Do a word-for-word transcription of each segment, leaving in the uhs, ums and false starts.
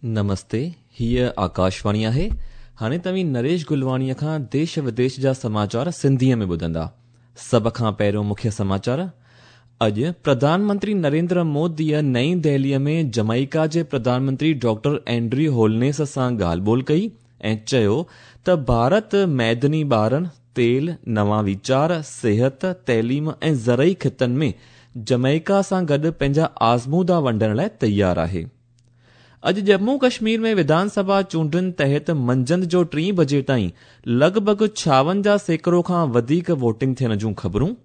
نمستي، هيءَ آڪاشواڻي آهي. هاڻي توهين نريش گلواڻيءَ کان ديش وديش جا سماچار سنڌيءَ ۾ ٻڌندا. سڀ کان پهريون مکيه سماچار. اڄ پرڌان منتري نريندر موديءَ نئين دهليءَ ۾ جمائيڪا جي پرڌان منتري ڊاڪٽر اينڊريو هولنيس سان ڳالهه ٻولهه ڪئي ۽ چيو ته ڀارت معدني ٻارڻ، تيل، نوان ويچار، صحت، تعليم ۽ زرعي خطن ۾ جمائيڪا سان گڏ پنهنجا آزمودا ونڊڻ لاءِ تيار آهي. اڄ ڄمون ڪشمير ۾ وڌان سڀا چونڊن تحت منجهند جو ٽين بجي تائين لڳ ڀڳ ڇاونجاهه سيڪڙو کان وڌيڪ ووٽنگ ٿيڻ جون خبرون.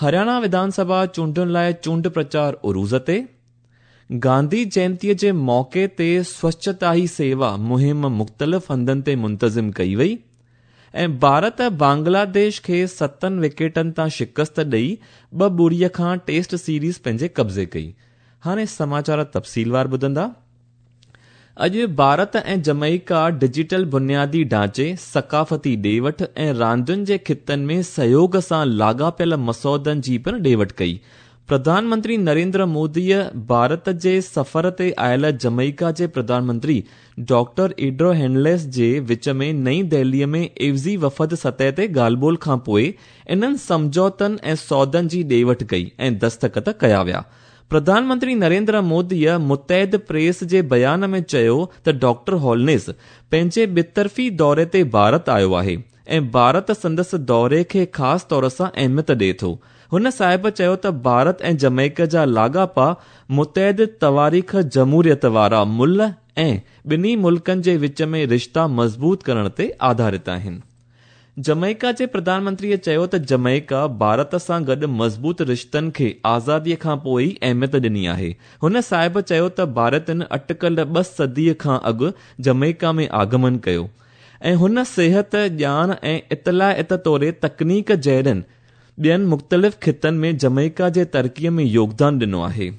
هرياڻا وڌان سڀا چونڊن لاءِ چونڊ پرچار عروج تي. گانڌي جينتيءَ جي موقعي تي سوڇتا هي سيوا مهم مختلف هنڌن تي منتظم ڪئي وئي. ۽ ڀارت بنگلاديش کي ستن وڪيٽن تان شڪست ڏيئي ٻه ٻڙيءَ کان ٽيسٽ سيريز پنهنجي قبضي ڪئي. هاڻي سماچار تفصيلوار ٻڌندا. اڄ ڀارت ۽ جمائيڪا ڊجيٽل بنيادي ڍانچي، ثقافتي ڏي وٺ ۽ راندين جي خطن ۾ سهيوگ سان لاڳاپيل مسودن جي پڻ ڏي وٺ ڪئي. پرڌان منتري نريندر موديءَ ڀارت جي سفر تي آيل جمائيڪا جي پرڌان منتري ڊاڪٽر ايڊرو هينليس جي وچ ۾ نئين دهليءَ ۾ عيوضي وفد سطح تي ڳالهه ٻولهه کان پوءِ انهن سمجهوتن ۽ سودن جي ڏي وٺ ڪئي ۽ دستخط ڪيا ويا. پرڌان منتري نريندر موديءَ متحد پريس جي بيان ۾ چيو ته ڊاڪٽر هولنيس پنهنجي ٻطرفي دوري تي ڀارت آيو آهي ۽ ڀارت سندس دوري کي خاص طور سان اهميت ڏئي ٿو. هن صاحب چيو ته ڀارت ۽ جمائيڪا جا لاڳاپا متحد تواريخ، جمهوريت وارا ملهه ۽ ٻنهي ملڪن جي وچ ۾ رشتا مضبوط ڪرڻ تي آڌارت آهن. جمائيڪا جي پرڌان منتريءَ چيو ته جمائيڪا ڀارت سان گڏ مضبوط رشتن کي آزاديءَ کان پوءِ ئي اهميت ڏني آهي. هن صاحب چيو ته ڀارتين اٽڪل ٻه صديءَ کان اڳ جمائيڪا ۾ آگمن ڪيو ۽ هن صحت، ڄاڻ ۽ اطلاعات توڙي تڪنيڪ جهڙن ٻين مختلف خطن ۾ جمائيڪا جي ترقيءَ ۾ يوگدان ڏنو آهي.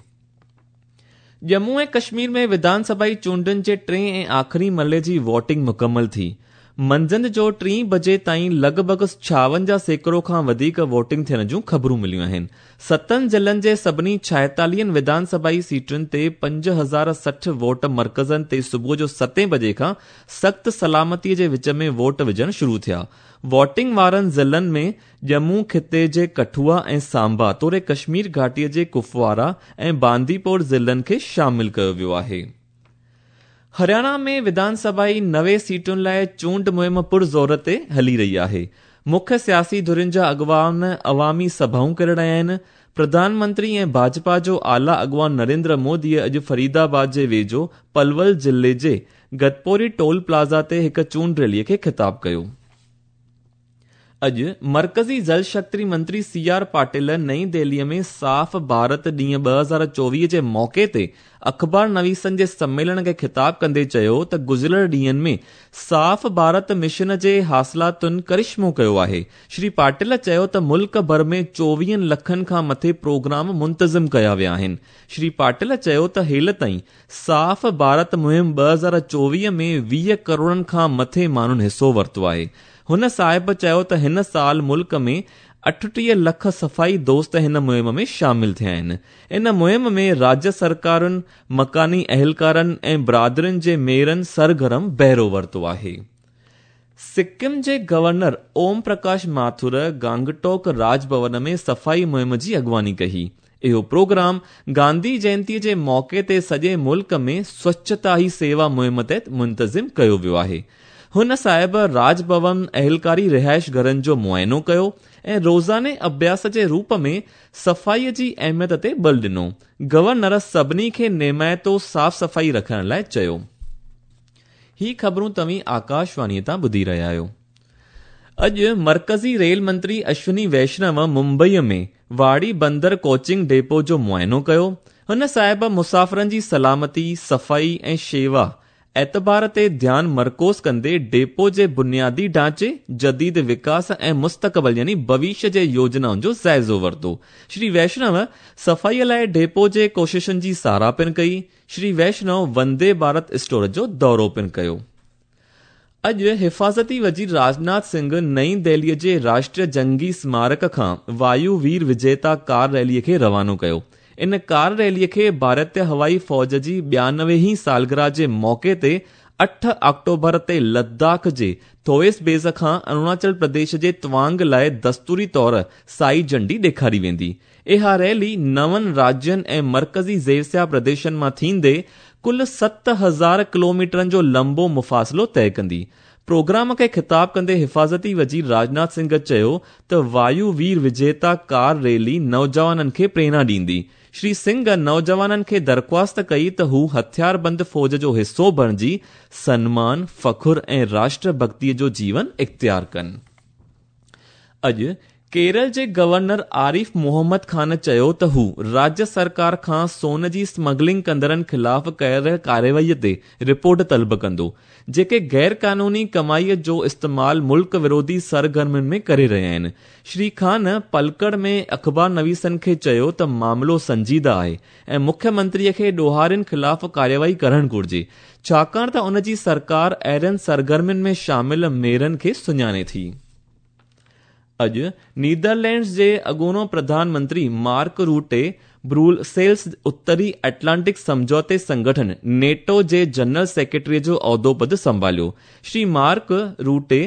ڄمون ۽ ڪشمير ۾ وڌان سڀائي چونڊن جي ٽئين ۽ آخري مرحلي جي ووٽنگ مڪمل ٿي. منجهند جو ٽين بجي تائين لڳ ڀڳ ڇاونجاهه سيڪڙو کان وڌيڪ ووٽنگ ٿيڻ جون خبرون مليون آهن. ستن ضلعن جي سڀني ڇائيتاليهن وڌان سڀائي سيٽن تي پنج هزار سٺ ووٽ مرڪزن تي صبح جو ستين بجي کان سخت سلامتيءَ جي وچ ۾ ووٽ وجهڻ شروع ٿيا. ووٽنگ وارن ضلعن ۾ ڄمون خطي جي ڪٺوا ۽ سامبا توڙي ڪشمير گهاٽيءَ جي ڪپوارا ۽ بانديپور ضلعن کي شامل ڪيو ويو آهي. هرياڻا ۾ وڌان سڀائي نوي سيٽن لاءِ چونڊ مهم پرزور تي هلي رهي آهي. مکيه سياسي ڌرين جا اڳواڻ عوامي سڀائون ڪري رهيا آهن. پرڌان منتري ۽ ڀاجپا جو اعليٰ اڳواڻ نريندر موديءَ اڄ فريدآباد جي ويجهو پلول ضلعي جي گتپوري ٽول پلازا تي هڪ چونڊ ريليءَ کي خطاب ڪيو. اڄ مرڪزي جل شڪتي منتري سي آر پاٽيل نئين دهليءَ ۾ صاف ڀارت ڏينهن ٻه هزار چوويهه جي موقعي تي اخبار نويسن جي سميلن کي خطاب ڪندي چيو ته گذريل ڏينهن ۾ صاف ڀارت مشن جي حاصلاتن ڪرشمو ڪيو آهي. شري پاٽيل چيو ته ملڪ ڀر ۾ چوويهن لکن کان مٿي پروگرام منتظم ڪيا ويا آهن. شري پاٽيل چيو ته هيل تائين صاف ڀارت مهم ٻه هزار چوويهه ۾ ويهه ڪروڙن کان مٿي ماڻهن حصو ورتو آهي. هن صاحب چيو ته هن سال ملڪ ۾ اٺٽيهه لک صفائي دوست هن مهم ۾ شامل ٿيا آهن. ان مهم ۾ راجيه سرڪارن، مڪاني اهلڪارن ۽ برادرين جي ميئرن سرگرم بهرو ورتو آهي. سڪم جي گورنر اوم پرڪاش ماٿر گانگٽوڪ راج ڀون ۾ صفائي مهم جي اڳواڻي ڪئي. اهو پروگرام گانڌي جينتيءَ جي موقعي تي سڄي ملڪ ۾ سوڇتا هي سيوا مهم تحت منتظم ڪيو ويو آهي. هن صاحب راج ڀون اهلڪاري رهائش گهرن جو معائنو ڪيو ۽ روزاني اڀياس جي روپ ۾ صفائيءَ جي اهميت تي بل ڏنو. گورنر سڀني کي نيمائتو صاف صفائي رکڻ لاءِ چيو. هي خبرون توهين آڪاشواڻيءَ تان ٻڌي رهيا آهيو. اڄ مرڪزي ريل منتري اشوني ويشنو ممبئيءَ ۾ واڙي بندر ڪوچنگ ڊيپو جو معائنو ڪيو. هن صاحب مسافرن جي سلامتي، صفائي ۽ شيوا اعتبار تي ڌيان مرڪوز ڪندي ڊيپو جي بنيادي ڍانچي، جديد وڪاس ۽ مستقبل يعني ڀوشيه جي يوجنائن جو جائزو ورتو. شري ويشنو صفائيءَ لاءِ ڊيپو جي ڪوششن جي ساراهه پڻ ڪئي. شري ويشنو وندي ڀارت اسٽور جو دورو پڻ ڪيو. اڄ حفاظتي وزير راجناٿ سنگهه نئين دهليءَ جي راشٽريه جنگي سمارڪ کان وايو وير وجيتا ڪار ريليءَ کي روانو ڪيو. In car ريليءَ کي ڀارتيه هوائي فوج جي ٻيانوي هين سالگرهه جي موقعي تي اٺ آڪٽوبر تي لداخ جي ٿوئس بيس کان اروناچل پرديش جي توانگ لاءِ دستوري طور سائي جهنڊي ڏيکاري ويندي. اها ريلي نون راجين ۽ مرڪزي زيرسيا پرديشن مان ٿيندي ڪل ست هزار ڪلوميٽرن جو لمبو مفاصلو طئي ڪندي. پروگرام کي خطاب ڪندي حفاظتي وزير راجناٿ سنگهه چيو ته وايووير وجيتا ڪار ريلي نوجوانن کي پريرڻا ڏيندي. شري سنگهه نوجوانن کي درخواست ڪئي ته هو هٿياربند فوج جو حصو بڻجي سنمان، فخر ۽ راشٽر ڀڳتيءَ جو جيون اختيار ڪن. اڄ ڪيرل جي گورنر عارف محمد خان چيو ته هو راجيه سرڪار کان سون جي اسمگلنگ ڪندڙن خلاف ڪيل ڪارروائي تي رپورٽ طلب ڪندو، جيڪي غير قانوني ڪمائيءَ جو استعمال ملڪ وروڌي سرگرمين ۾ ڪري رهيا آهن. شري خان پلڪڙ ۾ اخبار نويسن کي چيو ته معاملو سنجيده آهي ۽ مکيه منتريءَ کي ڏوهارين خلاف ڪارروائي ڪرڻ گهرجي، ڇاڪاڻ ته ان جي سرڪار اهڙين سرگرمين ۾ شامل ميرن کي سڃاڻي ٿي. اڄ نيدرلينڊز جي اڳوڻو پرڌان منتري مارڪ روٽي بروسيلز اتري ايٽلانٽڪ سمجهوتي سنگٺن نيٽو جي جنرل سيڪريٽري جو عهدو پد سنڀاليو. شري مارڪ روٽي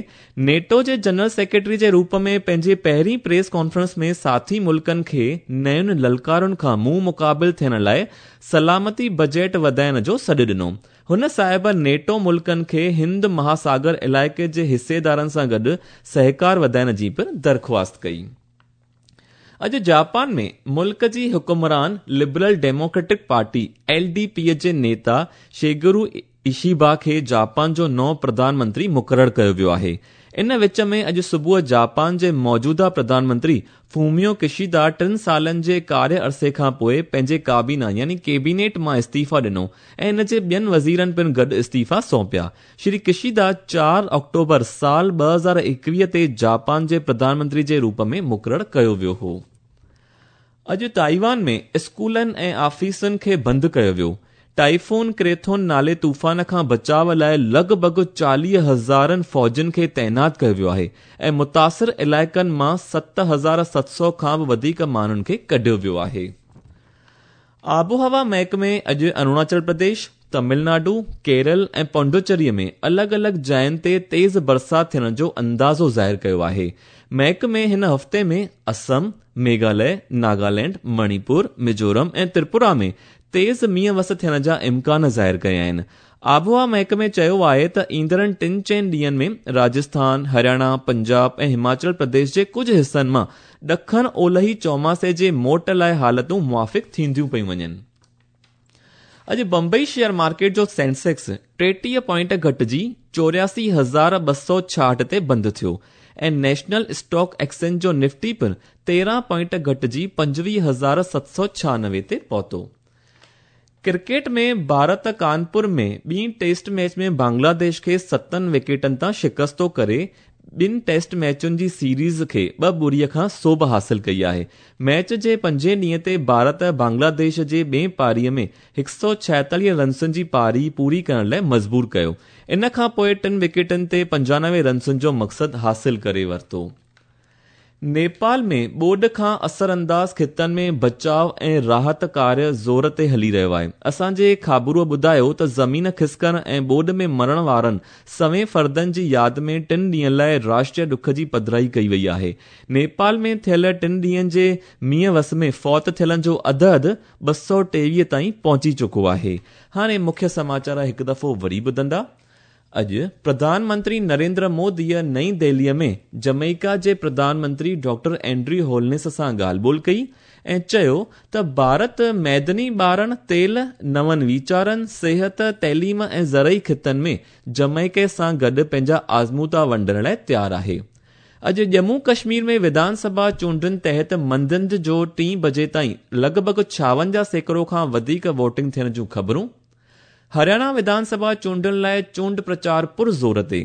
نيٽو جي جنرل سيڪريٽري جي روپ ۾ پنهنجي پهرين پريس ڪانفرنس ۾ ساٿي ملڪن کي نين للڪارن کان منهن مقابل ٿيڻ لاءِ سلامتي بجيٽ وڌائڻ جو سڏ ڏنو. هن صاحب نيٽو ملڪن کي هند مهاساگر علائقي جي حصيدارن سان گڏ سهڪار وڌائڻ جي پڻ درخواست ڪئي. اڄ جاپان ۾ ملڪ جي حڪمران Liberal Democratic Party L D P جي نيتا شيگرو اشيبا کي جاپان جو نئون پرڌان منتري مقرر ڪيو ويو آهي. ان وچ ۾ اڄ صبح جاپان جي موجوده پرڌان منتري فوميو ڪشيدا ٽن سالن جي ڪاريه عرصي کان پوءِ پنهنجي ڪابينا يعني ڪيبينيٽ مان استعيفا ڏنو ۽ ان جي ٻين وزيرن پڻ گڏ استعيفا سونپيا. شري ڪشيدا چار آڪٽوبر سال ٻه هزار ايڪويهه تي جاپان جي پرڌان منتري جي روپ ۾ مقرر ڪيو ويو هو. اڄ تائيوان ۾ اسڪولن ۽ آفيسن کي بند ڪيو ويو. ٽائيفون ڪريٿون نالي طوفان کان بچاءُ لاءِ لڳ ڀڳ چاليهه هزارن فوجين کي تعينات ڪيو ويو آهي ۽ متاثر علائقن مان ست هزار ست سؤ کان به وڌيڪ ماڻهن کي ڪڍيو ويو آهي. آبهوا محڪمي اڄ اروناچل پرديش، تامل ناڊو، ڪيرل ۽ پڊوچيري ۾ الڳ الڳ جاين تي تيز برسات ٿيڻ جو اندازو ظاهر ڪيو آهي. محڪمي هن هفتي ۾ اسم، ميگهاليه، ناگالينڊ، مڻيپور، ميزورم ۽ تريپورا ۾ تيز مينهن وس ٿيڻ جا امڪان ظاهر ڪيا آهن. آبهوا محڪمي چيو آهي ته ايندڙ ٽن چئن ڏينهن ۾ راجسٿان، هرياڻا، پنجاب ۽ هماچل پرديش جي ڪجهه حصن مان ڏکڻ اولهي چوماسي جي موٽ لاءِ حالتون موافق ٿينديون پيون وڃن. اڄ بمبئي شيئر مارڪيٽ جو سينسيڪس ٽيٽيهه پوائنٽ گهٽجي چوراسي هزار ٻه سؤ ڇاهٺ تي بند ٿيو ۽ نيشنل اسٽاڪ ايڪسچينج جو نفٽي پڻ تيرهن پوائنٽ گهٽجي پنجويهه هزار ست سؤ ڇهانوي تي پهتو. ڪرڪيٽ ۾ ڀارت ڪانپور ۾ ٻي ٽيسٽ ميچ ۾ بنگلاديش کي ستن وڪيٽن تان شڪستو ڪري ٻن ٽيسٽ ميچن جي سيريز کي ٻه ٻڙيءَ کان سوڀ حاصل ڪئي آهي. ميچ جي پنجين ڏينهن تي ڀارت بنگلاديش جي ٻئي پاريءَ ۾ هڪ سؤ ڇائيتاليهه رنسن جي پاري پوري ڪرڻ لاءِ مجبور ڪيو. ان کان پوءِ ٽن وڪيٽن تي پنجانوي رنسن جو مقصد حاصل ڪري ورتو. نيپال ۾ ٻوڏ کان اثرانداز خطن ۾ بچاءُ ۽ راحت ڪاريه زور تي هلي رهيو آهي. اسان جي خابروءَ ٻڌايو ته زمين کسڪڻ ۽ ٻوڏ ۾ مرڻ وارن سوين فردن جي ياد ۾ ٽن ڏينهن لاءِ راشٽريه ڏک جي پڌرائي ڪئي وئي آهي. نيپال ۾ ٿيل ٽن ڏينهن جي مينهن وس ۾ فوت ٿيلن جو عدد ٻه سؤ ٽيويهه تائين پهچي چڪو آهي. هاڻي مکيه سماچار هڪ دفعو وري ٻڌندا. اڄ پرڌان منتري نريندر موديءَ نئين دهليءَ ۾ جميڪا جي پرڌان منتري ڊاڪٽر اينڊريو هولنس سان ڳالهه ٻولهه ڪئي ۽ چيو ته ڀارت ميدني ٻارڻ، تيل، نون ويچارن، صحت، تعليم ۽ زرعي خطن ۾ جميڪا سان گڏ پنهنجا آزمودا ونڊڻ لاءِ تيار آهي. اڄ ڄمون ڪشمير ۾ وڌان سڀا چونڊن تحت منجهند جو ٽين بجي تائين لڳ ڀڳ ڇاونجاهه سيڪڙو کان وڌيڪ ووٽنگ ٿيڻ جون خبرون. هرياڻا وڌان سڀا چونڊن لاءِ چونڊ پرچار پرزور تي.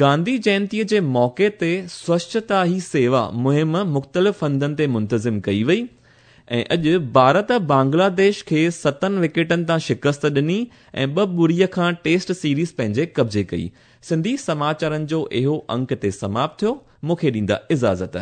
گانڌي جينتيءَ جي موقعي تي سوڇتا هي سيوا مهم مختلف هنڌن تي منتظم ڪئي وئي ۽ اڄ ڀارت بنگلاديش کي ستن وڪيٽن تان شڪست ڏني ۽ ٻه ٻڙيءَ کان ٽيسٽ سيريز پنهنجي قبضي ڪئي. سنڌي سماچارن جو اهو انڪ تي سماپت ٿيو. مون کي ڏيندا اجازت.